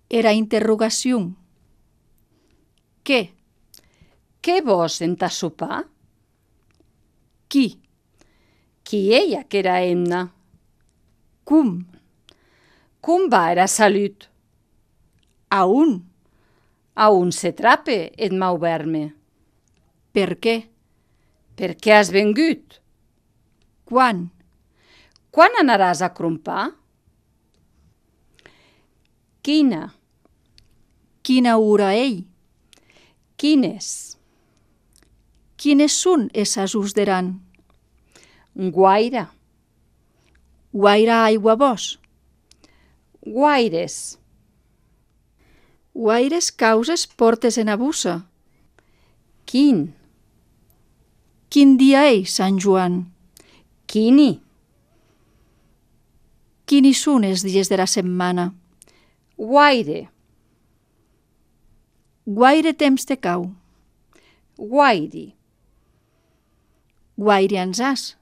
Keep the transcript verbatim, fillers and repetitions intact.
Era interrogació. Què? Què vos entà sopar? Qui? Qui ella que era emna? Com? Com va era salut? A un? A un se trape et mau verme. Per què? Per què has vengut? Quan? Quan anaràs a crompar? Quina? Quina hora ei? Quines? Quines són esas us deran? Guaire. Guaire aigua vos? Guaires. Guaires causes portes en abusa? Quin? Quin dia ei, Sant Joan? Quini? Quini són els dies de la setmana? Guaire. Guaire temps te cau? Guairi. Guaire ansàs?